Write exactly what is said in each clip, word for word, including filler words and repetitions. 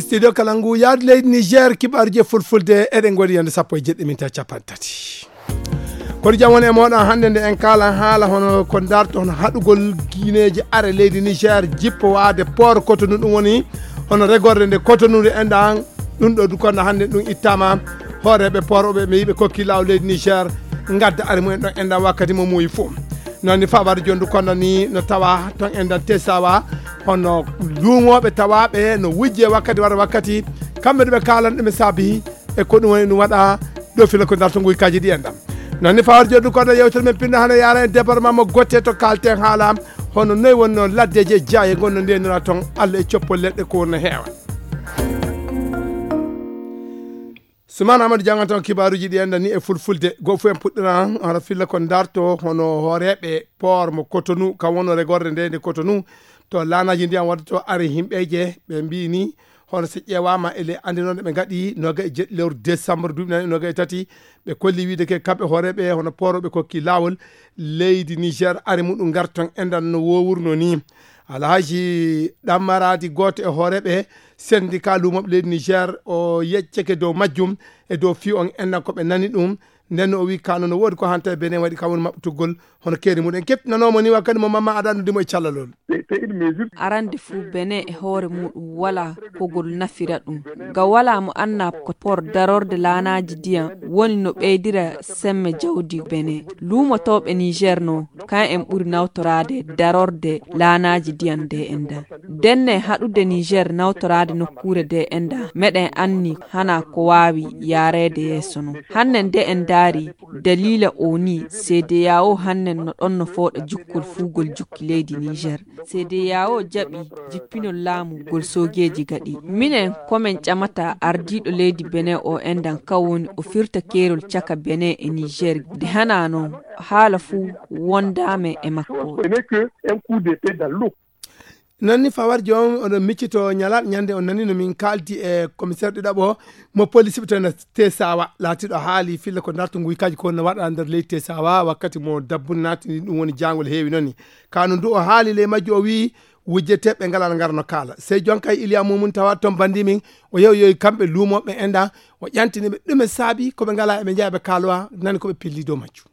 Studio kala ngu yaadu leydi Niger, kibaaruji e fulfulde, eɗen ngoodi yande sappo e jeɗɗi minta capanɗe tati. Kono jam woni e mooɗon hannde nde en kaalan haala hono ko darto hono haɗugol gineeji are leydi Niger jippo waade port Cotonou, ɗum woni hono regorde nde Cotonou nde enɗan. Ɗum ɗo du kono hannde ɗum ittama hooreeɓe port ɓe ɓe yiɓe kokki laawol leydi Niger ngadda are mumen ɗon enɗan wakkati mo muuyi fof. Noon ni fawaade jooni du kono ni no tawa toon enɗan Tesawa hono luumooɓe tawaaɓe no wujje wakkati wara wakkati kamɓe ɗo ɓe kaalan ɗum e saabi e ko ɗum woni ɗum waɗa ɗo fila ko darto nguykaaji ɗi enɗan. Noon ni fawaade jooni du kono yewtere men pinno hano yaara e département mo gotte to kaalten haala hono noy wonno laddeeji e jaaye gonno ndenira toon Allah e coppol leɗɗe ko wonno heewa. Suman Amadou janngan toon kibaaruji ɗi enɗan ni e fulfulde. Goo fof en puɗɗiran hara filla ko darto hono hooreeɓe port mo Cotonou, kam wonno regorde nde nde Cotonou to laanaaji ndiyam wadde to ari himɓeeje ɓe mbii ni hono so ƴeewaama e ley anndinooɗe ɓe ngaɗi noga e jeɗɗi lewru décembre duuɓi nani noga e tati, ɓe kolli wiide ke kamɓe hooreeɓe hono port ɓe kokki laawol leydi Niger ari muɗum ngar toon enɗan no wowurno ni. Alhaji Ɗammaradi gooto e hooreeɓe syndicat luumooɓe leydi Niger o yecceke dow majjum e dow fii on enɗan ko ɓe nani ɗum. Nden o wii kano no woodi ko hanta e Benin waɗi kam woni maɓɓutugol hono keeri muɗum en kettinanoomo ni wakkati mo mamma aɗa anndudimo e callalol. Arande fuu Benin e hoore muɗum wala kogol nafira ɗum. Ga wala mo anna ko port darorde laanaaji ndiyam woni no ɓeydira semme jawdi Benin. Luumotooɓe Niger no kan en ɓuri nawtoraade darorde laanaaji ndiyam nde enɗan. Denne haɗude Niger nawtoraade nokkuure nde enɗan meɗen anni hana ko waawi yaareede yeeso non. Hanne nde en ndaari daliila o ni, C D A O hannen no ɗon no fooɗa jukkol fuugol jukki leydi Niger. C D A O jaɓi jippinol laamu gol soogeeji gaɗi. Minen komin ƴamata ardiiɗo leydi Benin o enɗan kan woni o firta keerol caka Benin e Niger. Nde hana non haala fuu wondaame e makko. Noon ni fawar joom oɗon miccito ñalaat ñande on nani no min kaaldi e commissaire ɗiɗaɓo mo police ɓe toon Tesawa laatiɗo haali filla ko darto nguykaaji ko no waɗa nder leydi Tesawa wakkati mo dabbun naatini ɗum woni jaangol heewi noon ni. Kano ndu o haali ley majju o wii wujjeteeɓe ngalaa no ngara no kaala. Sey jonkay Iliya Mumum tawa toon bandi min o yewi yowi kamɓe luumooɓe enɗan o ƴantini ɓe ɗume saabi ko ɓe ngalaa eɓe njeya ɓe kaalowa nani ko ɓe pilli dow majju.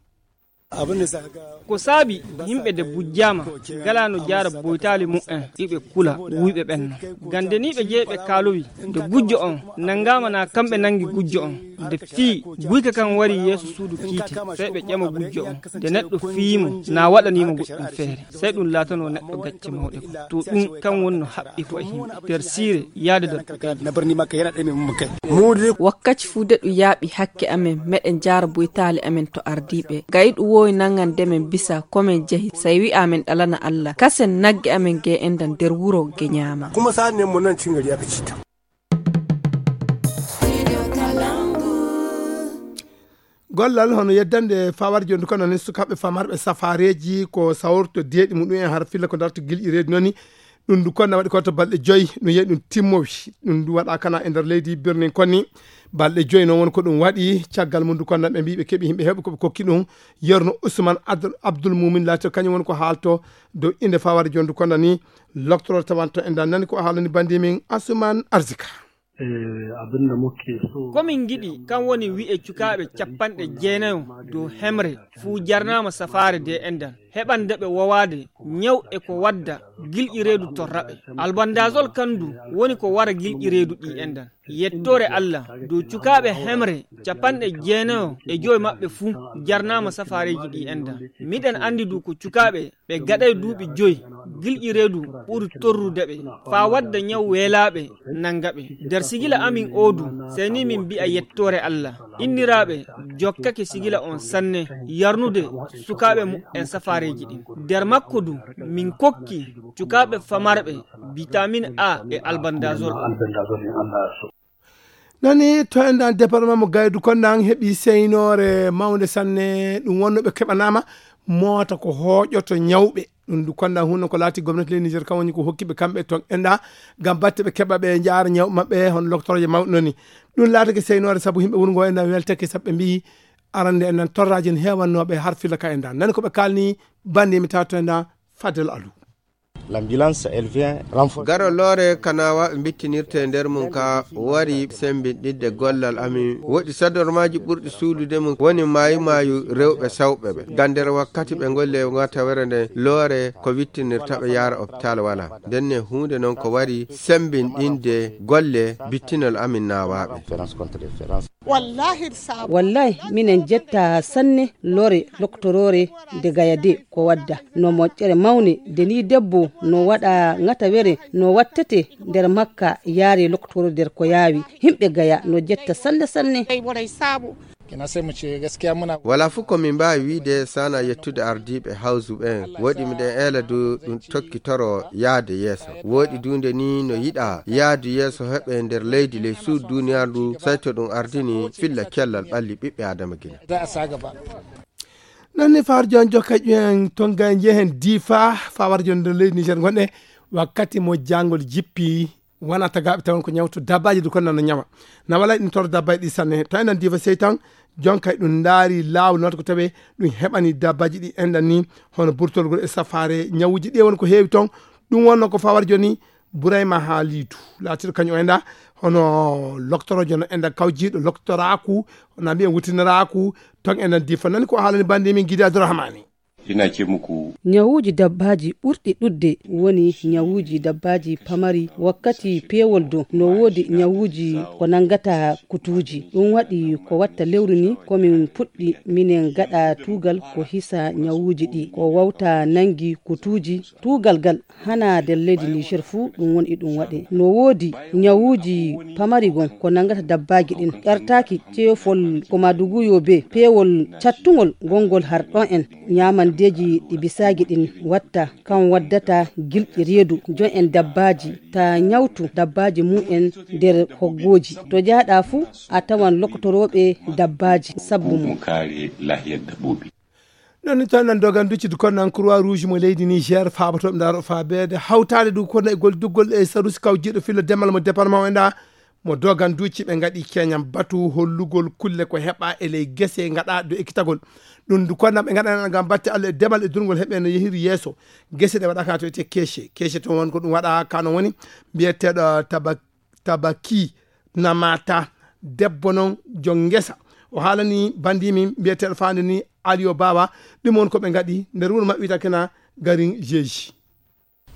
Ko saabi yimɓe de bujjaama ngalaa no jaara boytaali mu'en iɓe kula wuyɓe ɓen non. Gande ni ɓe jeyi ɓe kaalowi de gujjo on nanngaama na kamɓe nanngi gujjo on de fii guyka kan wari yeeso suudu kiite sey ɓe ƴama gujjo on de neɗɗo fiyi mo na waɗanii mo goɗɗum feere sey ɗum laatanoo neɗɗo gacce mawɗe ko to ɗum kan wonno haɓɓi ko e yimɓe nder siire yaade nder. Wakkati fuu de ɗum yaaɓi hakke amen meɗen jaara boytaali amen to ardiiɓe ga iɗum woowi nanngande men bisa ko men jehi sey wi'a men ɗalana Allah kasen nagge amen ge enɗan nder wuro ge ñaama. Kuma sa'an ne mo nan cin gari aka cita. Gollal hono yeddande fawar jondu kono ni sukaaɓe famarɓe safareeji ko sawrto deeɗi muɗum en har filla ko darto gilƴi reedu noon ni. Ɗum ndu konna waɗi ko to balɗe joyi no yehi ɗum timmowi ɗum ndu waɗa kana e nder leydi birnin konni. Balɗe joyi noon woni ko ɗum waɗi caggal mum ndu konna ɓe mbi ɓe keɓi yimɓe heɓɓe ko ɓe kokki ɗum. Yerno Ousmane Abdoul Moumin laati kañum woni ko haalto dow innde fawar jondu konna ni. Loktoro tawanto en dan nani ko haalani bandi min Asuman Arzika. Ko min ngiɗi kan woni wi'e cukaaɓe capanɗe jeenayo dow hemre fuu jarnaama safaare de endan heɓande ɓe wowaade ñaw e ko wadda gilƴi reedu torra ɓe. Albandazol kan du woni ko wara gilƴi reedu ɗi endan. Yettoore Allah dow cukaaɓe hemre capanɗe jeenayo e joy maɓɓe fuu jarnaama safaareeji ɗi endan. Miɗen anndi du ko cukaaɓe ɓe gaɗay duuɓi joy gilƴi reedu ɓuri torrude ɓe faa wadda ñaw weelaaɓe nannga ɓe. Nder sigila amin oo du sey ni min mbi'a yettoore Allah. Inniraaɓe jokkake sigila on sanne yarnude sukaaɓe muɓɓen safaareeji ɗin. Nder makko du min kokki cukaaɓe famarɓe bitamin A e albandazol. Nani to enɗan département mo Gaydu konnan heɓi seynoore mawnde sanne ɗum wonno ɓe keɓanaama moota ko hooƴoto ñawɓe. Ɗum du konnan hunno ko laati gomnati ley Niger kam woni ko hokki ɓe kamɓe toon enɗa ngam batte ɓe keɓa ɓe njaara ñawɓe maɓɓe hono loktoroje mawɗe noon ni. Ɗum laatake seynoore sabu yimɓe wuro ngo enɗa weltake sabu ɓe mbiyi arande enɗan torraji en heewannooɓe har filla ka enɗa nani ko ɓe kaalni bannde mi tawa to enɗa Fadel Alou. L'ambulance, elle vient renforcer. Garo loore ka naawaaɓe mbittinirte e nder mum ka wari sembinɗinde gollal amin. Woɗi sadormaaji ɓurɗi suudude mum woni maayu maayu rewɓe sawɓe ɓe. Ngam nder wakkati ɓe ngolli e ngatawere nde loore ko wittinirta ɓe yaara hôpital wala. Ndenne huunde noon ko wari sembinɗinde golle bittinol amin naawaaɓe. Wallahi, minen jetta sanne lore loktoroore de Gaya de ko wadda no moƴƴere mawne de ni debbo no waɗa ŋatawere no wattete nder makka yaare loktoro nder ko yaawi. Himɓe Gaya no jetta sanne sanne. Wala fof ko min mbaawi wiyde sana yettude ardiiɓe hawsu ɓen. Woɗi miɗen eela du ɗum tokkitoro yaade yeeso. Woɗi du nde ni no yiɗa yaadu yeeso heɓe nder leydi ley suudu duniyaaru ndu, sayti ɗum ardini filla cellal ɓalli ɓiɓɓe Adama Gine. Noon ni fawar jon jokka ƴuwen tonga njehen difa fawar jon nder leydi Niger gonɗe wakkati mo jangol jippi wona tagaɓe tawon ko ñawto dabbaji du kon nano ñawa na wala ɗin toro dabbaji ɗi sanne to enen difa sey tan jon kay ɗum ndaari laawol noon ko tawe ɗum heɓani dabbaji ɗi enɗan ni hono burtolgol e safaare ñawuji ɗi won ko heewi toon ɗum wonno ko fawar joni Burayma Haalidu laatiiɗo kañum o enɗa hono loktoroojo no enɗa kawjiiɗo loktoraaku na mbiyen wutiniraaku toon enɗan difa nani ko haalani bandi min Gidi Abdourahmani. Ina cemuku. Ñawuuji dabbaaji ɓurɗi ɗuɗde woni ñawuuji dabbaaji pamari wakkati peewol do no woodi ñawuuji ko nanngata kutuuji ɗum waɗi ko watta lewru ni komin puɗɗi minen gaɗa tuugal ko hisa ñawuuji ɗi ko wawta nanngi kutuuji tuugal gal hana nder leydi Niger fuu ɗum woni e ɗum waɗe no woodi ñawuuji pamari gon ko nanngata dabbaaji ɗin ƴartaaki ceefol ko maduguyo be peewol cattungol gonngol har ɗon en ñaamandeeji ɗi bisaagi ɗin watta kan waddata gilɗi reedu jon en dabbaaji ta ñawtu dabbaaji mum en nder hoggooji to jaaɗa fuu a tawan lokotorooɓe dabbaaji sabbu mum. Ɗon ni tan nan dogan duccude kono nan croix rouge mo leydi Niger faabatooɓe ndaaro faabeede hawtaade ɗum kono e gol duggol e sarusi kawjiiɗo filla demal mo département o enɗa mo dogan ducci ɓe ngaɗi keñam batu hollugol kulle ko heɓa e ley gese ngaɗa do ekkitagol ɗum du kono nan ɓe ngaɗana ngam batte Allah e demal e durgol heɓe no yehiri yeeso gese ɗe waɗaka to ete keece keece to won ko ɗum waɗa kano woni mbiyeteɗo taba tabaki namata debbo noon jon ngesa o haalani bandi min mbiyeteɗo faande ni aliyo bawa ɗum woni ko ɓe ngaɗi nder wuro maɓɓe wiyata kena garin jeeji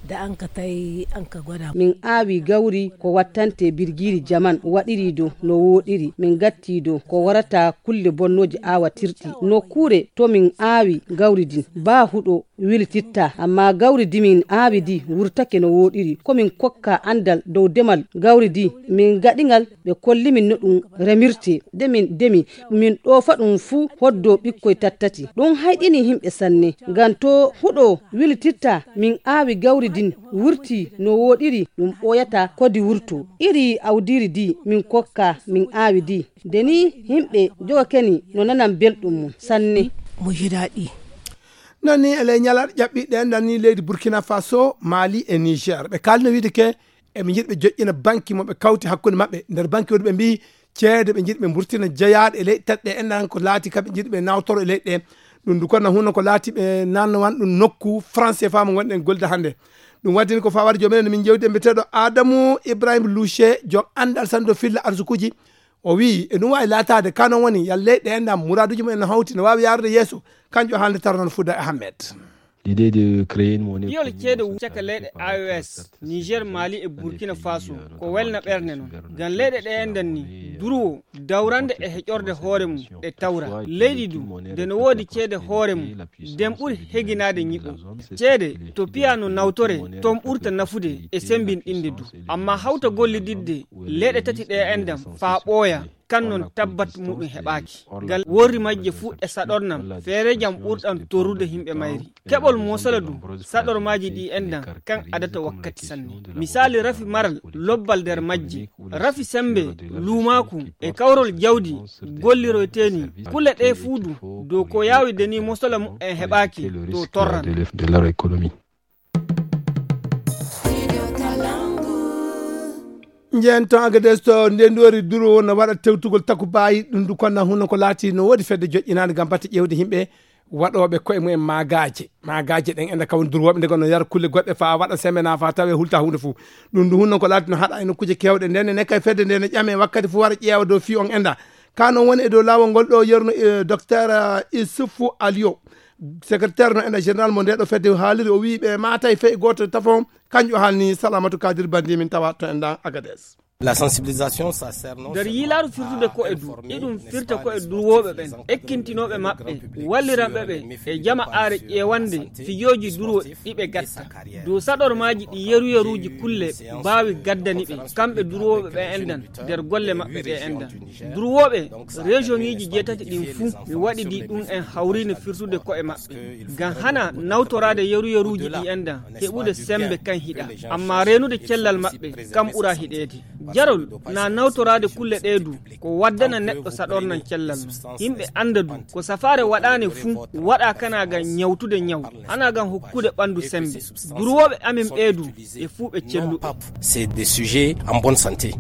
da an ka tawi an ka gwada min aawi gawri ko wattante birgiiri jaman waɗiri do no wooɗiri min gatti do ko warata kulle bonnooji aawatirɗi nokkuure to min aawi gawri din ba huɗo wilititta amma gawri di min aawi di wurtake no wooɗiri ko min kokka anndal dow demal gawri di min gaɗi ngal ɓe kolli min no ɗum remirte de min demi min ɗoofa ɗum fuu hoddoo ɓikkoy tattati ɗum hayɗini yimɓe sanne ngam to huɗo wilititta min aawi gawri din wurti no wooɗiri ɗum ɓooyata kodi wurtoo iri awdiiri di min kokka min aawi di de ni yimɓe jogake ni no nanan belɗum mum sanne. Mo jiraɗi. Noon ni e ley ñalaɗe ƴaɓɓiɗe enɗan ni leydi Burkina Faso, Mali e Niger ɓe kaalino wiide ke eɓe njiɗi ɓe joƴƴina banki mo ɓe kawti hakkunde maɓɓe nder banki woni ɓe mbiyi ceede ɓe njiɗi ɓe mburtina jeyaaɗe e leyɗe tati ɗe enɗan ko laati kaɓe njiɗi ɓe nawtoro e leyɗe ɗe ɗum du kono hunno ko laati ɓe nannowan ɗum nokku français faa mo ngonɗen golde hannde ɗum waddini ko fawar joom enen min jewdi e mbiyeteeɗo Adamu Ibrahim Louche joom anndal sanndo filla arsukuuji o wii e ɗum waawi laataade ka noon woni yalla leyɗe enɗan muraaduuji mum en no hawti no waawi yaarude yeeso kanjo haalde tarnan Fouda Ahmed. L'idée de créer une monnaie piyol ceede wu caka leyɗe A E S Niger Mali e Burkina Faso ko welna ɓernde noon ngam leyɗe ɗe enɗan ni durwo dawrande e heƴorde hoore mum e tawra leydi du nde no woodi ceede hoore mum nden ɓuri heginaade ñiɓo ceede to piya no nawtore toon ɓurta nafude e sembinɗinde du amma hawta gollididde leyɗe tati ɗe enɗan faa ɓooya kan noon tabbat muɗum heɓaaki ngal worri majje fuu e saɗornam feerejam ɓurɗam torrude yimɓe mayri keɓol mosala du saɗormaaji ɗi enɗan kan adata wakkati sanne misaali rafi maral lobbal nder majje rafi sembe luumaaku e kawrol jawdi golliroyteeni kule ɗe fuu du dow ko yaawi de ni mosala mumen heɓaaki to torran. Njehen toon Agades to ndenndori duro no waɗa tewtugol takubayi ɗum du konna huno ko laati no woodi fedde joƴƴinaande ngam batte ƴeewde yimɓe waɗooɓe koye mumen maagaaje. Maagaaje ɗen enda kawon durwooɓe nde gonno yara kulle goɗɗe faa waɗa sembe naa faa tawee hulta huunde fuu. Ɗum ndu hunnon ko laati no haɗa e nokkuuje keewɗe. Nden ne kay fedde nde ne ƴame wakkati fuu wara ƴeewa dow fii on enda. Ka non woni e dow laawol ngol ɗo yerno, eh, Docteur, eh, Issoufou Alio, secrétaire no enda général mo nde ɗo fedde haaliri, o wii ɓe maatay fey gooto tafon, kanƴo haalni Salamatu Kadir Bandi min tawa to endan Agadez. La sensibilisation, ça sert non Nder seulement yiilaaru firtude à ko e du, informer, iɗum n'est-ce firta pas, ko e les durwooɓe sportifs, ɓen, les entraîneurs, ekkintinooɓe le maɓɓe, grand public, walliranɓe sur ɓe les e méfaits jama de aare ƴeewande fijooji durwo ɗi ɓe gatta. Dow saɗormaaji ɗi yeruyeruuji kulle mbaawi gaddani ɓe, kamɓe durwooɓe ɓe endan, nder golle maɓɓe ɗe endan. Durwooɓe, région ŋiiji jeetati ɗin fuu, mi waɗidi ɗum en hawriino firtude ko'e maɓɓe. Ngam hana nawtoraade yeruyeruuji ɗi endan, heɓude sembe kan hiɗa. Amma reenude cellal maɓɓe, kam ɓura hiɗeede. Jarol, na nawtoraade kulle ɗee du, ko waddana neɗɗo saɗornan cellal mum. Yimɓe annda du, ko safaare waɗaane fuu, waɗa kana ngam ñawtude ñaw, hana ngam hokkude ɓanndu sembe. Durwooɓe amin ɓee du, ɓe fuu ɓe celluɓe. C'est des sujets en bonne santé.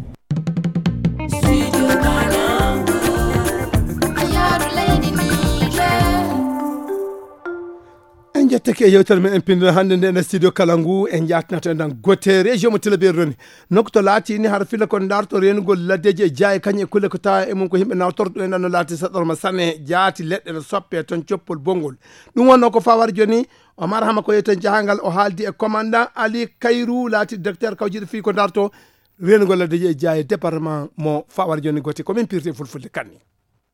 En jettake e yewtere men en pinndira hannde nde nder studio kala ngu, en jaatinato en ɗan gote région mo Tilaberi roni. Nokku to laati ni hara filla kon darto reenugol laddeeji e jaaye kañum e kulle ko tawa e mum ko yimɓe nawtorto en ɗan no laati saɗorma sanne, jaati leɗɗe no soppe ton coppol bonngol. Ɗum wonno ko fawar joni, Omar Hama ko yewten jahangal o haaldi e commandant Ali Kayru laati directeur kawjiɗo fii ko darto reenugol laddeeji e jaaye département mo fawar joni gote ko min pirti e fulfulde kanni.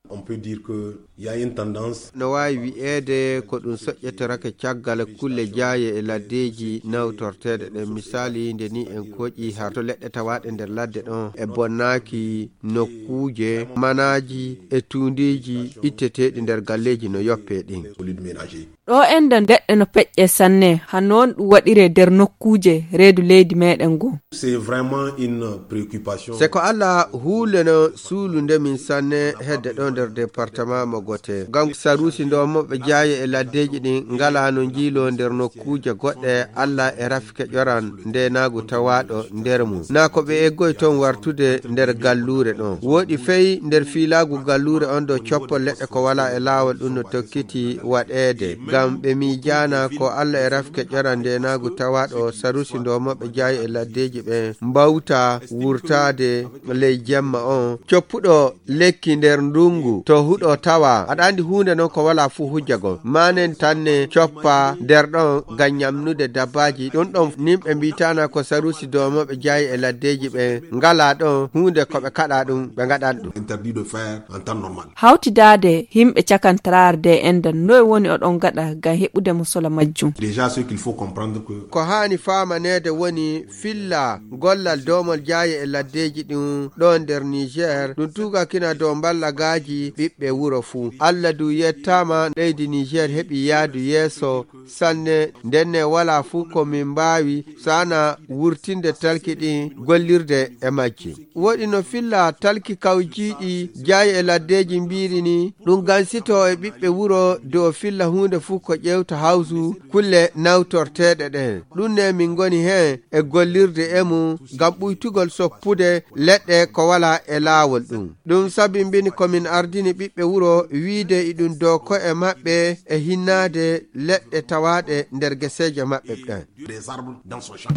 On peut dire que il y a une tendance. No waawi wi'eede ko ɗum soƴƴetorake caggal kulle jaaye e laddeeji nawtorteeɗe ɗen. Misaali, nde ni en koƴi harto leɗɗe tawaaɗe nder ladde ɗon e bonnaaki nokkuuje, manaaji e tuundiiji itteteeɗi nder galleeji no yoppee ɗin. Solide ménager. Ɗo enɗan leɗɗe no peƴƴe sanne, hano on ɗum waɗiree nder nokkuuje reedu leydi meɗen ngo. C'est vraiment une préoccupation. Se ko Alla huule no suulunde min sanne hedde ɗo nder département mo gote. Ngam saruusi ndomoɓe jaaye e laddeeji ɗin ngala no njiiloo nder nokkuuje goɗɗe, Alla e rafike ƴoran ndeenaagu tawaaɗo nder mum. Na ko ɓe eggoy ton wartude nder galluure ɗon. Wooɗi fey nder fiilaagu galluure on ɗo coppol leɗɗe ko walaa e laawol ɗum no tokkiti waɗeede. Ngam ɓe miijaana ko Alla e rafike ƴoran ndeenaagu tawaaɗo saruusi ndomoɓe jaaye e laddeeji ɓen mbawta wurtaade ley jemma on. Coppuɗo lekki nder ndungu to huɗo tawa. Aɗa andi huunde non ko wala fuu hujjagol. Manen tanne coppa nder ɗon ngam nyamnude dabbaaji. Ɗum ɗon nimɓe mbiitana ko saruusi doomoɓe jaayi e laddeeji ɓe ngala ɗon huunde ko ɓe kaɗa ɗum, ɓe ngaɗan ɗum. Interdit de faire en temps normal. Hawtidaade himɓe cakantaraare de enɗan noy woni oɗon ngaɗa ngam heɓude mo sola majjum? Déjà, ce qu'il faut comprendre que ko haani faamaneede woni filla gollal doomol jaaye e laddeeji ɗum ɗo nder Niger, ɗum tuugakina dow mballagaaji ɓiɓɓe wuro fuu. Alla du yettaama, leydi Niger heɓi yaadu yeeso sanne, ndenne walaa fuu ko min mbaawi sana wurtinde talki ɗin gollirde e majji. Woɗi no filla talki kawjiiɗi jaaye e laddeeji mbiiri ni, ɗum gansito e ɓiɓɓe wuro dow filla huunde fuu ko ƴeewta hawsu kulle nawtorteeɗe ɗen. Ɗum ne min ngoni heen e gollirde e mum ngam ɓuytugol soppude leɗɗe ko walaa e laawol ɗum. Ɗum sabimbini ko min ardini ɓiɓɓe wuro wiide iɗum dow ko'e maɓɓe e hinnaade leɗɗe tawaaɗe nder geseeje maɓɓe ɗen. Des arbres dans son champ.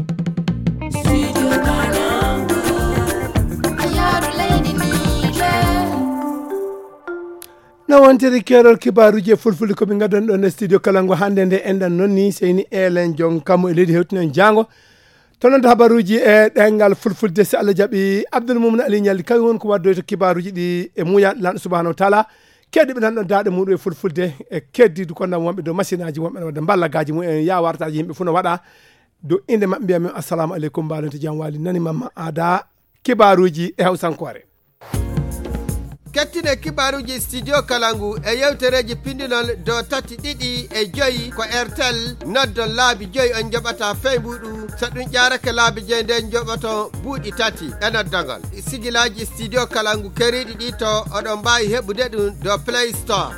No wontiri keerol kibaaruuji e fulfulde ko min ngaddan ɗon e studio kala ngo hannde nde enɗan noon ni seyni eelen jon kammu e leydi hewtinen jaango. To noon habaruuji e ɗengal fulfulde si Allah jaɓi Abdoul Moumouni Ali Ñalli kawi won ko waddoyta kibaaruuji ɗi e muuya lanɗo subhanahu wa taala. Keddiiɓe nan ɗon daaɗe muɗum e fulfulde e keddiidu ko nan wonɓe dow masinaaji wonɓe no wadde mballagaaji mumen yaa wartaaji yimɓe fuu no waɗa dow innde maɓɓe mbiya min assalamu aleykum mbaɗon to jam waali nani mamma aada kibaaruuji e hawsankoore. Kettine kibaaruuji studio kala ngu e yewtereeji pindinol dow tati ɗiɗi e joyi ko airtel noddon laabi joyi on njoɓata fey mbuɗu. So ɗum ƴaarake laabi joyi nden njoɓoton buuɗi tati e noddagol. Sigilaaji studio kala ngu keriiɗi ɗi to oɗon mbaawi heɓude ɗum dow play store.